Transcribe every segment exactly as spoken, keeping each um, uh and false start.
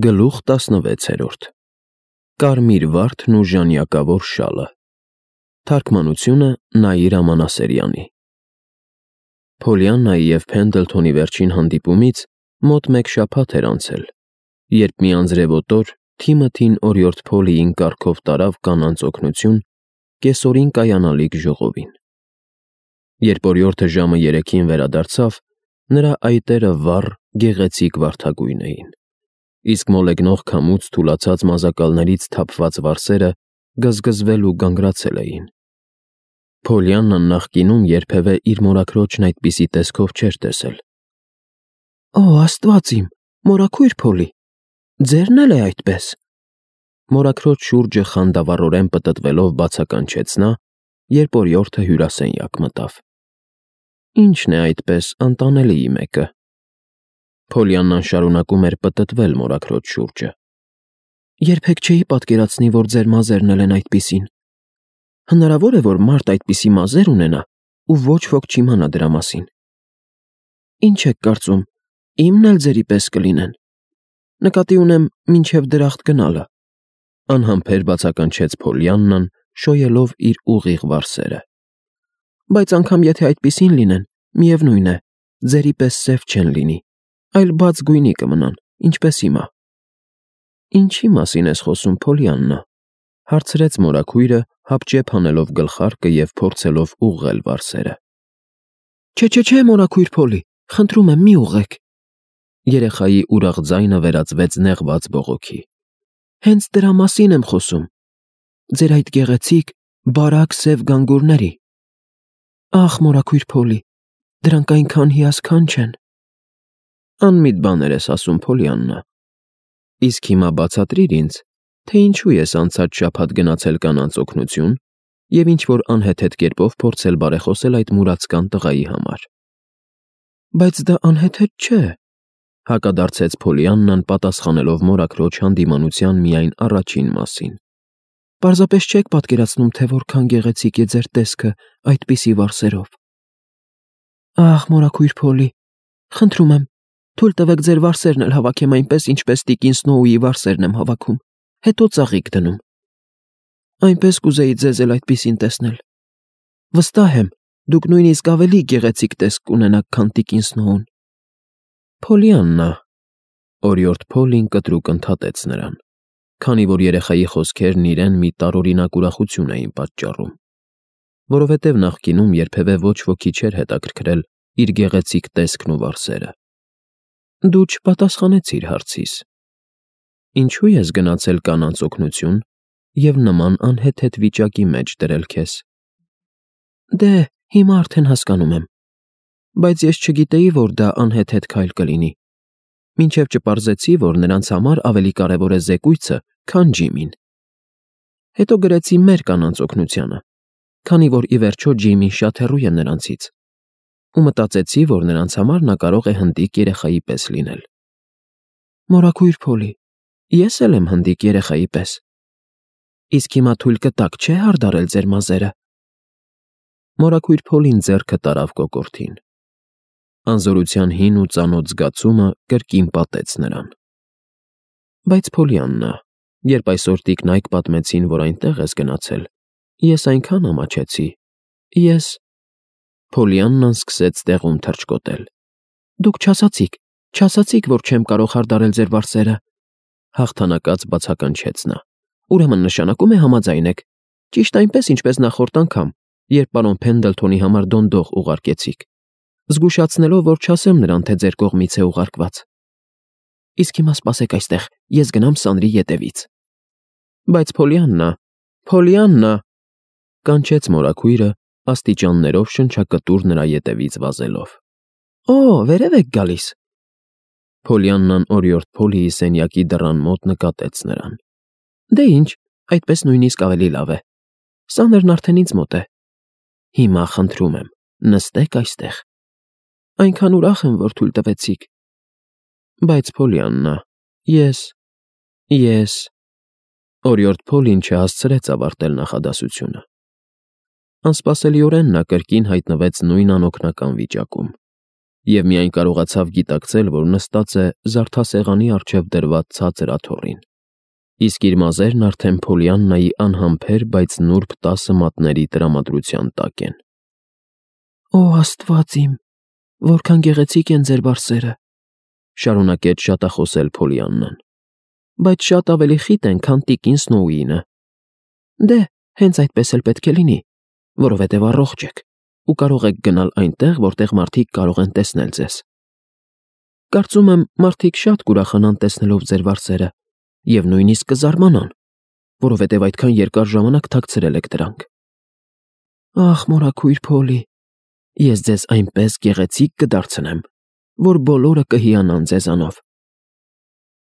Գլուխ տասնվեցերորդ Կարմիր վարդն ու ժանյակավոր շալը Թարգմանությունը Նայիր Ամանասերյանի Փոլիաննայի և Փենդլթոնի վերջին հանդիպումից մոտ մեկ շաբաթ էր անցել, երբ մի անձրևոտ օր Թիմոթին օրիորդ Փոլիին կառքով տարավ կանանց օգնություն կեսօրին կայանալիք ժողովին։ Երբ օրիորդը ժամը երեքին վերադարձավ, նրա այտերը վառ, գեղեցիկ վարդագույն էին, իսկ մոլեգնող քամուց թուլացած մազակալներից թափված վարսերը գզգզվել ու գանգրացել էին։ Փոլիաննան նախկինում երբևէ իր մորաքրոջն այդպիսի տեսքով չէր տեսել։ «Օ, Աստված իմ, մորաքույր Փոլի, ձե՞րն էլ է այդպես»։ Մորաքրոջ շուրջը խանդավառորեն պտտվելով բացականչեց նա, երբ օրիորդը հյուրասենյակ մտավ։ «Ի՞նչն է այդպես անտանելիի մեկը»։ Փոլիաննան շարունակում էր պտտվել մորաքրոջ շուրջը։ «Երբեք չէի պատկերացնի, որ ձեր մազերն էլ են այդպիսին։ Հնարավոր է, որ մարդ այդպիսի մազեր ունենա, ու ոչ ոք չիմանա դրա մասին։ Ինչ եք կարծում, իմն էլ ձերի պես կլինեն։ Նկատի ունեմ մինչև դրախտ գնալը», անհամբեր բացականչեց Փոլիաննան, շոյելով իր ուղիղ վարսերը։ «Բայց անգամ եթե այդպիսին լինեն, միևնույն է, ձերի պես սև չեն լինի, այլ բաց գույնի կմնան, ինչպես հիմա»։ «Ինչի՞ մասին ես խոսում, Փոլիաննա», հարցրեց մորաքույրը, հապճեպ հանելով գլխարկը և փորձելով ուղղել վարսերը։ «Չէ՛, մորաքույր Փոլի, խնդրում եմ, մի ուղղեք»։ Երեխայի ուրախ ձայնը վերածվեց նեղված բողոքի։ «Հենց դրա մասին եմ խոսում, ձեր այդ գեղեցիկ, բարակ սև գանգուրների։ Ախ, մորաքույր Փոլի, դրանք այնքան հիասքանչ են»։ «Անմիտ բաներ ես ասում, Փոլիաննա։ Իսկ հիմա բացատրիր ինձ, թե ինչու ես անցած շաբաթ գնացել կանանց օգնություն և ինչ-որ անհեթեթ կերպով փորձել բարեխոսել այդ մուրացկան տղայի համար»։ «Բայց դա անհեթեթ չէ», հակադարձեց Փոլիաննան, պատասխանելով մորաքրոջ հանդիմանության միայն առաջին մասին։ «Պարզապես չեք պատկերացնում, թե որքան գեղեցիկ է ձեր տեսքը այդպիսի վարսերով։ Ախ, մորաքույր Փոլի, խնդրում եմ, թույլ տվեք ձեր վարսերն էլ հավաքեմ այնպես, ինչպես տիկին Սնոուի վարսերն եմ հավաքում, հետո ծաղիկ դնում։ Այնպես կուզեի ձեզ էլ այդպիսին տեսնել։ Վստահ եմ, դուք նույնիսկ ավելի գեղեցիկ տեսք կունենաք, քան տիկին Սնոուն»։ «Փոլիաննա», օրիորդ Փոլին կտրուկ ընդհատեց նրան, քանի որ երեխայի խոսքերն իրեն մի տարօրինակ ուրախություն էին պատճառում, որովհետև նախկինում երբևէ ոչ ոքի չէր հետաքրքրել իր գեղեցիկ տեսքն ու վարսերը։ «Դու չպատասխանեցիր հարցիս. ինչու ես գնացել կանանց օգնություն և նման անհեթեթ վիճակի մեջ դրել քեզ»։ «Դե, հիմա արդեն հասկանում եմ, բայց ես չգիտեի, որ դա անհեթեթ քայլ կլինի, մինչև չպարզեցի, որ նրանց համար ավելի կարևոր է զեկույցը, քան Ջիմին։ Հետո գրեցի մեր կանանց օգնությանը, քանի որ ի վերջո Ջիմին շատ հեռու է նրանցից, ու մտածեցի, որ նրանց համար նա կարող է հնդիկ երեխայի պես լինել։ Մորաքույր Փոլի, ես էլ եմ հնդիկ երեխայի պես։ Իսկ հիմա թույլ կտաք, չէ՞, հարդարել ձեր մազերը»։ Մորաքույր Փոլին ձեռքը տարավ կոկորդին։ Անզորության հին ու ծանոթ զգացումը կրկին պատեց նրան։ «Բայց Փոլիաննա, երբ այսօր տիկնայք պատմեցին, որ այնտեղ ես գնացել, ես այնքան ամաչեցի, ես…» Փոլիաննան սկսեց տեղում թռչկոտել։ «Դուք չասացիք, չասացիք, որ չեմ կարող հարդարել ձեր վարսերը», հաղթանակած բացականչեց նա։ «Ուրեմն նշանակում է համաձայն եք, ճիշտ այնպես, ինչպես նախորդ անգամ, երբ պարոն Փենդլթոնի համար դոնդող ուղարկեցիք, զգուշացնելով, որ չասեմ նրան, թե ձեր կողմից է ուղարկված։ Իսկ հիմա սպասեք այստեղ, ես գնամ սանրի ետևից»։ «Բայց Փոլիաննա, Փոլիաննա», կանչեց մորաքույրը, աստիճաններով շնչակտուր նրա ետևից վազելով։ «Օ, վերև եք գալիս»։ Փոլիաննան օրիորդ Փոլիի սենյակի դռան մոտ նկատեց նրան։ «Դե ինչ, այդպես նույնիսկ ավելի լավ է։ Սաներն արդեն ինձ մոտ է։ Հիմա խնդրում եմ, նստեք այստեղ։ Այնքան ուրախ եմ, որ թույլ տվեցիք։ Բայց Փոլիաննա, ես… ես…» Օրիորդ Փոլին չհասցրեց ավարտել նախադասությունը։ Անսպասելիորեն նա կրկին հայտնվեց նույն անօգնական վիճակում։ և միայն կարողացավ գիտակցել, որ նստած է զարդասեղանի առջև դրված ցածր աթոռին, իսկ իր մազերն արդեն Փոլիաննայի անհամբեր, բայց նուրբ տասը մատների տրամադրության տակ են։ «Օ Աստված իմ, որքան գեղեցիկ են ձեր բարձերը», շարունակեց շատախոսել Փոլիաննան, «բայց շատ ավելի խիտ են, քան տիկին Սնոուինը»։ «Դե, հենց այդպես էլ պետք է լինի, որովհետև առողջ եք ու կարող եք գնալ այնտեղ, որտեղ մարդիկ կարող են տեսնել ձեզ։ Կարծում եմ, մարդիկ շատ կուրախանան տեսնելով ձեր վարսերը և նույնիսկ կզարմանան, որովհետև այդքան երկար ժամանակ թաքցրել եք դրանք։ Ախ, մորաքույր Փոլի, ես ձեզ այնպես գեղեցիկ կդարձնեմ, որ բոլորը կհիանան ձեզանով»։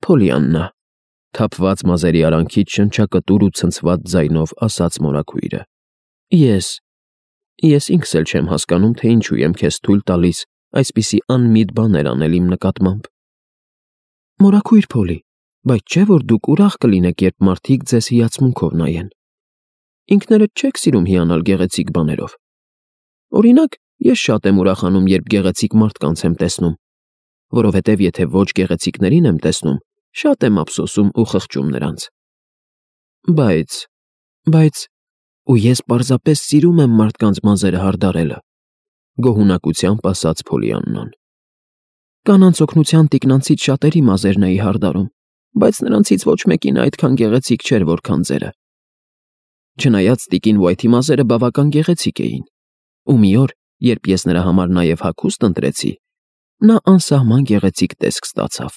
«Փոլիաննա», թափված մազերի արանքից շնչակտուր ու ցնցված ձայնով ասաց մորաքույրը, «ես… ես ինքս էլ չեմ հասկանում, թե ինչու եմ քեզ թույլ տալիս այսպիսի անմիտ բաներ անել իմ նկատմամբ»։ «Մորաքույր Փոլի, բայց չէ՞ որ դուք ուրախ կլինեք, երբ մարդիկ ձեզ հիացմունքով նայեն։ Ինքներդ չեք սիրում հիանալ գեղեցիկ բաներով։ Օրինակ, ես շատ եմ ուրախանում, երբ գեղեցիկ մարդկանց եմ տեսնում, որովհետև եթե ոչ գեղեցիկներին եմ տեսնում, շատ եմ ափսոսում ու խղճում նրանց։ Բայց… բայց… ու ես պարզապես սիրում եմ մարդկանց մազերը հարդարելը», գոհունակությամբ ասաց Փոլիաննան։ «Կանանց օգնության թիկնանցից շատերի մազերն էի հարդարում, բայց նրանցից ոչ մեկին այդքան գեղեցիկ չէր, որքան ձերը։ Չնայած տիկին Ուայթի մազերը բավական գեղեցիկ էին, ու մի օր, երբ ես նրա համար նաև հագուստ ընտրեցի, նա անսահման գեղեցիկ տեսք ստացավ»։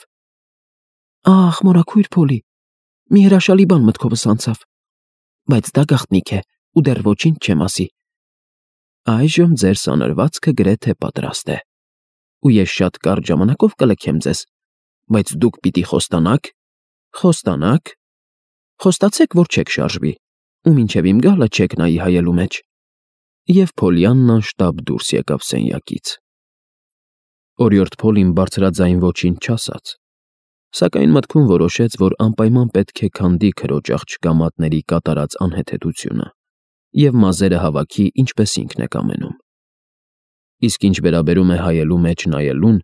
«Ախ, մորաքույր Փոլի, մի հրաշալի բան մտքովս անցավ, բայց դա գաղտնիք է ու դեռ ոչինչ չեմ ասի։ Այժմ ձեր սանրվածքը գրեթե պատրաստ է, ու ես շատ կարճ ժամանակով կլքեմ ձեզ, բայց դուք պիտի խոստանաք… խոստանաք… խոստացեք, որ չեք շարժվի ու մինչև իմ գալը չեք նայի հայելու մեջ»։ Եվ Փոլիաննան շտապ դուրս եկավ սենյակից։ Օրիորդ Փոլին բարձրաձայն ոչինչ չասաց, սակայն մտքում որոշեց, որ անպայման պետք է քանդի քրոջ աղջկա մատների կատարած անհեթեթությունը և մազերը հավաքի, ինչպես ինքն է կամենում։ Իսկ ինչ վերաբերում է հայելու մեջ նայելուն,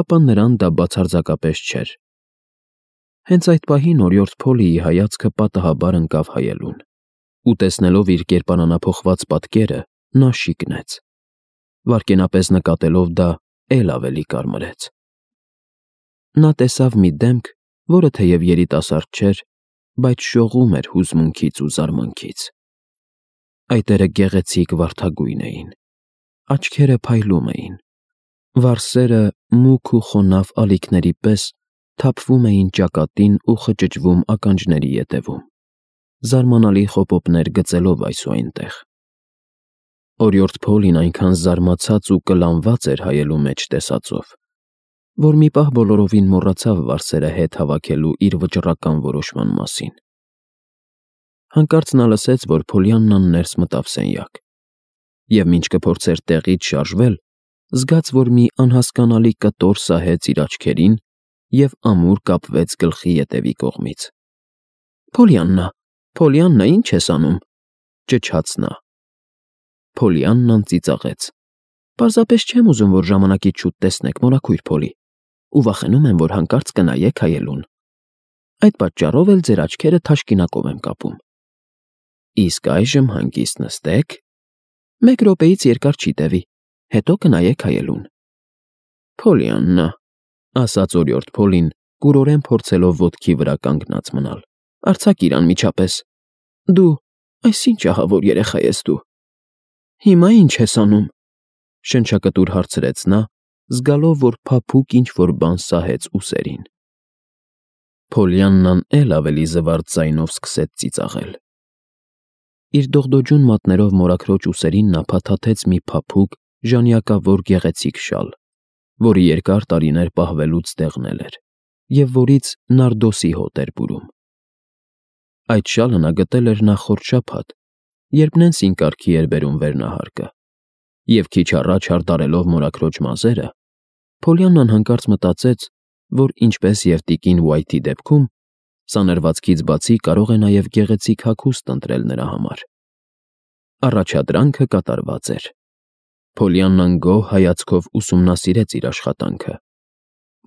ապա նրան դա բացարձակապես չէր։ Հենց այդ պահին օրիորդ Փոլիի հայացքը պատահաբար ընկավ հայելուն, ու տեսնելով իր կերպարանափոխված պատկերը, նա շիկնեց։ Վայրկենապես նկատելով դա, էլ ավելի կարմրեց։ Նա տեսավ մի դեմք, որը թեև երիտասարդ չէր, բայց շողում էր հուզմունքից ու զարմանքից։ Այտերը գեղեցիկ վարդագույն էին, աչքերը փայլում էին, վարսերը մուգ ու խոնավ ալիքների պես թափվում էին ճակատին ու խճճվում ականջների ետևում, զարմանալի խոպոպներ գծելով այս ու այնտեղ։ Օրիորդ Փոլին այնքան զարմացած ու կլանված էր հայելու մեջ տեսածով, որ մի պահ բոլորովին մոռացավ վարսերը հետ հավաքելու իր վճռական որոշման մասին։ Հանկարծ նա լսեց, որ Փոլիաննան ներս մտավ սենյակ, և մինչ կփորձեր տեղից շարժվել, զգաց, որ մի անհասկանալի կտոր սահեց իր աչքերին և ամուր կապվեց գլխի ետևի կողմից։ «Փոլիաննա, Փոլիաննա, ի՞նչ ես անում», ճչաց նա։ Փոլիաննան ծիծաղեց. «Պարզապես չեմ ուզում, որ ժամանակից շուտ տեսնեք, մորաքույր Փոլի, ու վախենում եմ, որ հանկարծ կնայեք հայելուն։ Այդ պատճառով էլ ձեր աչքերը թաշկինակով եմ կապում։ Իսկ այժմ հանգիստ նստեք, մեկ րոպեից երկար չի տևի, հետո կնայեք հայելուն»։ «Փոլիաննա», ասաց օրիորդ Փոլին, կուրորեն փորձելով ոտքի վրա կանգնած մնալ, «արձակիր անմիջապես։ Դու… այս ինչ ահավոր երեխա ես դու։ Հիմա ի՞նչ ես անում», շնչակտուր հարցրեց նա, զգալով, որ փափուկ ինչ-որ բան սահեց ուսերին։ Փոլիաննան էլ ավելի զվարթ ձայնով սկսեց ծիծաղել։ Իր դողդոջուն մատներով մորաքրոջ ուսերին նա փաթաթեց մի փափուկ, ժանյակավոր գեղեցիկ շալ, որը երկար տարիներ պահվելուց դեղնել էր, և որից նարդոսի հոտ էր բուրում։ Այդ շալը նա գտել էր նախորդ շաբաթ, երբ Նենսին կարգի էր բերում վերնահարկը, և քիչ առաջ հարդարելով մորաքրոջ մազերը, Փոլիաննան հանկարծ մտածեց, որ ինչպես և տիկին Ուայթի դեպքում, սանրվածքից բացի կարող է նաև գեղեցիկ հագուստ ընտրել նրա համար։ Առաջադրանքը կատարված էր։ Փոլիաննան գոհ հայացքով ուսումնասիրեց իր աշխատանքը,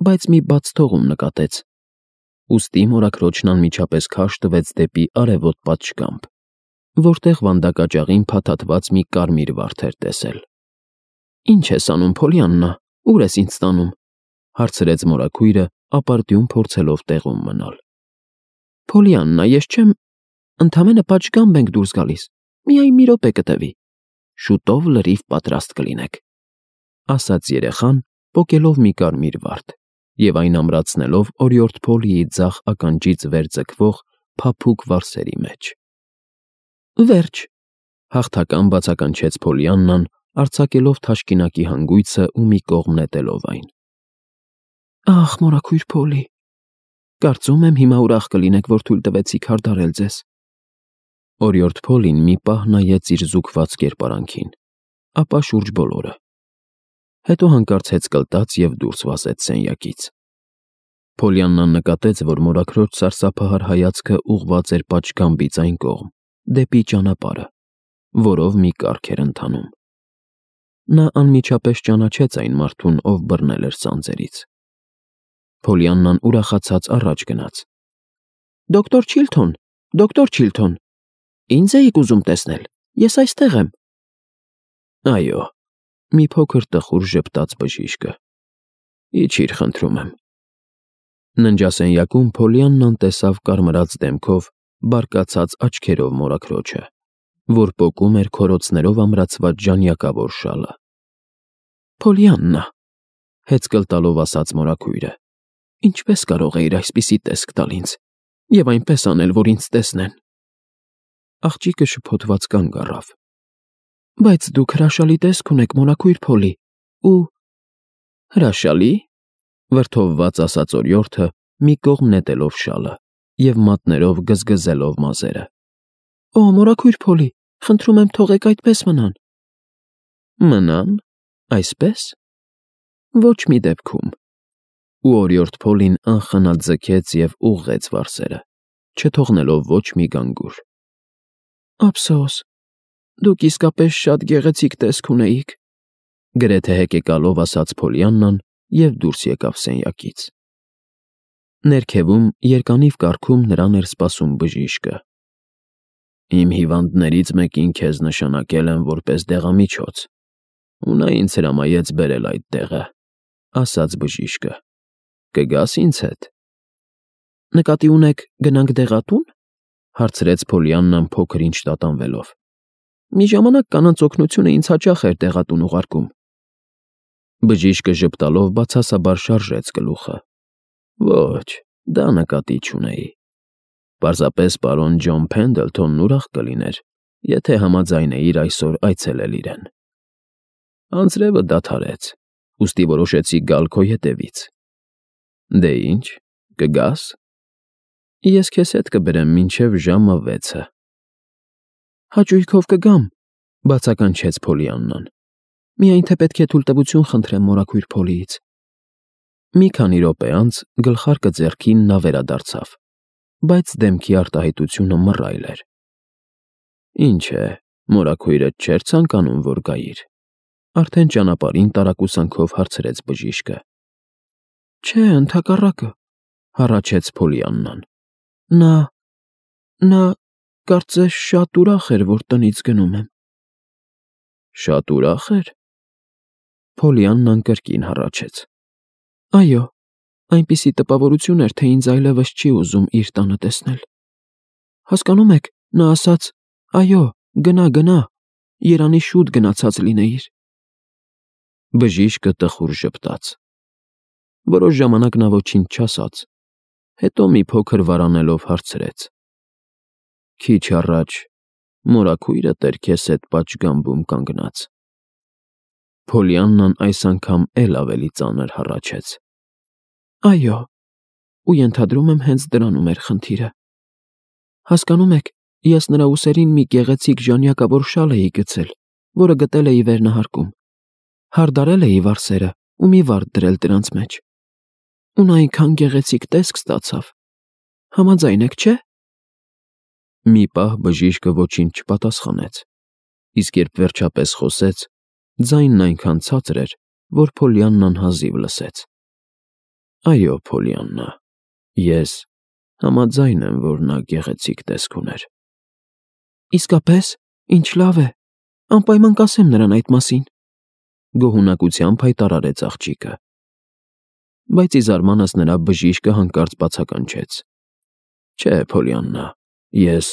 բայց մի բաց թողում նկատեց։ Ուստի մորաքրոջն անմիջապես քաշ տվեց դեպի արևոտ պատշգամբ, որտեղ վանդակաճաղին փաթաթված մի կարմիր վարդ էր տեսել։ «Ինչ ես անում, Փոլիաննա, ուր ես ինձ տանում», հարցրեց մորաքույրը, ապարդյուն փորձելով տեղում մնալ։ «Փոլիաննա, ես չեմ, ընդամենը պատշգամբ ենք դուրս գալիս, միայն մի րոպե կտևի, շուտով լրիվ պատրաստ կլինեք», ասաց երեխան, պոկելով մի կարմիր վարդ և այն ամրացնելով օրիորդ Փոլիի ձախ ականջից վեր ձգվող փափուկ վարսերի մեջ։ «Վերջ», հաղթական բացականչեց Փոլիաննան, արձակելով թաշկինակի հանգույցը ու մի կողմ նետելով այն։ «Ախ, մորաքույր Փոլի, կարծում եմ հիմա ուրախ կլինեք, որ թույլ տվեցիք հարդարել ձեզ»։ Օրիորդ Փոլին մի պահ նայեց իր զուգված կերպարանքին, ապա շուրջ բոլորը։ Հետո հանկարծ հեծկլտաց և դուրս վազեց սենյակից։ Փոլիաննան նկատեց, որ մորաքրոջ սարսափահար հայացքը ուղղված էր պատշգամբից այն կողմ, դեպի ճանապարհը, որով մի կառք էր ընթանում։ Նա անմիջապես ճանաչեց այն մարդուն, ով բռնել էր սանձերից։ Փոլիաննան ուրախացած առաջ գնաց։ «Դոկտոր Չիլթոն, դոկտոր Չիլթոն, ինձ էիք ուզում տեսնել, ես այստեղ եմ»։ «Այո», մի փոքր տխուր ժպտաց բժիշկը։ «Իջիր, խնդրում եմ»։ Ննջասենյակում Փոլիաննան տեսավ կարմրած դեմքով, բարկացած աչքերով մորաքրոջը, որ պոկում էր քորոցներով ամրացված ժանյակավոր շալը։ «Փոլիաննա», հեծկլտալով ասաց մորաքույրը, «ինչպես կարող էիր այսպիսի տեսք տալ ինձ և այնպես անել, որ ինձ տեսնեն»։ Աղջիկը շփոթված կանգ առավ։ «Բայց դուք հրաշալի տեսք ունեք, մորաքույր Փոլի, ու…» «Հրաշալի՞», վրդովված ասաց օրիորդը, մի կողմ նետելով շալը և մատներով գզգզելով մազերը։ «Օ, մորաքույր Փոլի, խնդրում եմ, թողեք այդպես մնան»։ «Մնան, այսպե՞ս»։ «Ոչ մի դեպքում»։ Ու օրիորդ Փոլին անխնա ձգեց և ուղղեց վարսերը, չթողնելով ոչ մի գանգուր։ «Ափսոս, դուք իսկապես շատ գեղեցիկ տեսք ունեիք», գրեթե հեկեկալով ասաց Փոլիաննան և դուրս եկավ սենյակից։ Ներքևում երկանիվ կառքում նրան էր սպասում բժիշկը։ «Իմ հիվանդներից մեկին քեզ նշանակել եմ որպես դեղամիջոց, ու նա ինձ հրամայեց բերել այդ տեղը», ասաց բժիշկը։ «Կգա՞ս ինձ հետ»։ «Նկատի ունեք գնանք դեղատո՞ւն», հարցրեց Փոլիաննան փոքր-ինչ տատանվելով։ «Մի ժամանակ կանանց օգնությունը ինձ հաճախ էր դեղատուն ուղարկում»։ Բժիշկը ժպտալով բացասաբար շարժեց գլուխը։ «Ոչ, դա նկատի չունեի։ Պարզապես պարոն Ջոն Փենդլթոնն ուրախ կլիներ, եթե համաձայնեիր այսօր այցելել իրեն։ Անձրևը դադարեց, ուստի որոշեցի գալ քո ետևից։ Դե ինչ, կգա՞ս։ Ես քեզ հետ կբերեմ մինչև ժամը վեցը»։ «Հաճույքով կգամ», բացականչեց Փոլիաննան։ «Միայն թե պետք է թույլտվություն խնդրեմ մորաքույր Փոլիից»։ Մի քանի րոպե անց գլխարկը ձեռքին նա վերադարձավ, բայց դեմքի արտահայտությունը մռայլ էր։ «Ինչ է, մորաքույրդ չէր ցանկանում, որ գայիր»։ Արդեն ճանապարհին տարակուսանքով հարցրեց բժիշկը։ «Չէ, ընդհակառակը», հառաչեց Փոլիաննան։ «Նա… նա… կարծես շատ ուրախ էր, որ տնից գնում եմ»։ «Շատ ուրախ էր»։ Փոլիաննան կրկին հառաչեց։ «Այո, այնպիսի տպավորություն էր, թե ինձ այլևս չի ուզում իր տանը տեսնել։ Հասկանում եք, նա ասաց. «Այո, գնա, գնա, երանի շուտ գնացած լինեիր»։ Բժիշկը տխուր ժպտաց։ Որոշ ժամանակ նա ոչինչ չասաց, հետո մի փոքր վարանելով հարցրեց. «Քիչ առաջ մորաքույրդ էր քեզ հետ պատշգամբում կանգնած»։ Փոլիաննան այս անգամ էլ ավելի ծանր հառաչեց։ «Այո, ու ենթադրում եմ հենց դրանում էր խնդիրը։ Հասկանում եք, ես նրա ուսերին մի գեղեցիկ ժանյակավոր շալ էի գցել, որը գտել էի վերնահարկում։ Հարդարել էի վարսերը ու մի վարդ դրել դրանց մեջ։ Ու նա այնքան գեղեցիկ տեսք ստացավ։ Համաձայն եք, չէ՞։ Մի պահ բժիշկը ոչինչ չպատասխանեց, իսկ երբ վերջապես խոսեց, Ձայնն այնքան ցածր էր, որ Փոլիաննան հազիվ լսեց։ Այո, Փոլիաննա, ես համաձայն եմ, որ նա գեղեցիկ տեսք ուներ։ Իսկապես, ինչ լավ է, անպայման կասեմ նրան այդ մասին, գոհունակությամբ հայտարարեց աղջիկը։ Բայց ի զարմանս նրա բժիշկը հանկարծ բացականչեց. Չէ, Փոլիաննա, ես,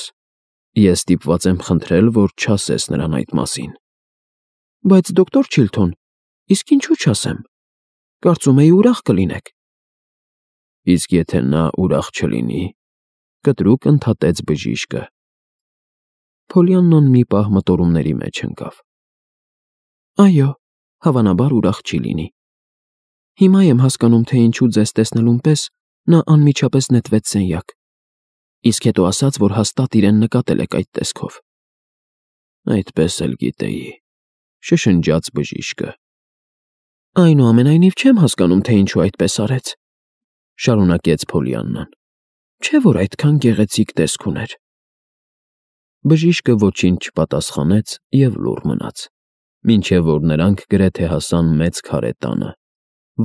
ես ստիպված եմ խնդրել, որ չասես նրան այդ մասին։ Բայց դոկտոր Չիլթոն, իսկ ինչու չասեմ։ Կարծում էի ուրախ կլինեք։ Իսկ եթե նա ուրախ չլինի, կտրուկ ընդհատեց բժիշկը։ Փոլիաննան մի պահ մտորումների մեջ ընկավ։ Այո, հավանաբար ուրախ չի լինի։ Հիմա եմ հասկանում, թե ինչու ձեզ տեսնելուն պես նա անմիջապես նետվեց սենյակ, իսկ հետո ասաց, որ հաստատ իրեն նկատել եք այդ տեսքով։ Այդպես էլ գիտեի, շշնջաց բժիշկը։ Այնուամենայնիվ չեմ հասկանում, թե ինչու այդպես արեց, շարունակեց Փոլիաննան։ Չէ՞ որ այդքան գեղեցիկ տեսք ուներ։ Բժիշկը ոչինչ չպատասխանեց և լուռ մնաց, մինչև որ նրանք գրեթե հասան մեծ քարե տանը,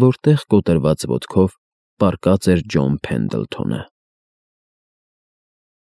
որտեղ կոտրված ոտքով պառկած էր Ջոն Փենդլթոնը։